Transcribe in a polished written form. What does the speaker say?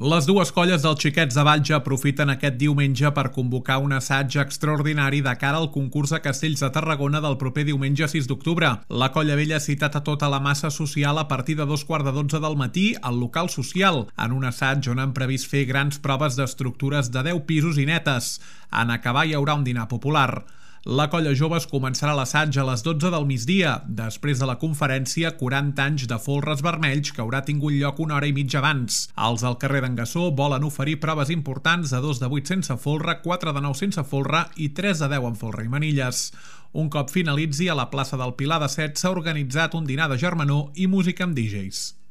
Les dues colles dels Xiquets de Valls aprofiten aquest diumenge per convocar un assaig extraordinari de cara al concurs a Castells de Tarragona del proper diumenge 6 d'octubre. La colla vella ha citat a tota la massa social a partir de 2:15 del matí al local social, en un assaig on han previst fer grans proves d'estructures de 10 pisos i netes. En acabar hi haurà un dinar popular. La colla joves començarà l'assaig a les 12 del migdia, després de la conferència 40 anys de folres vermells que haurà tingut lloc una hora i mitja abans. Els del carrer d'en Gassó volen oferir proves importants de 2 de 8 sense folre, 4 de 9 sense folre i 3 de 10 amb folre i manilles. Un cop finalitzi, a la plaça del Pilar de Set s'ha organitzat un dinar de germanor i música amb DJs.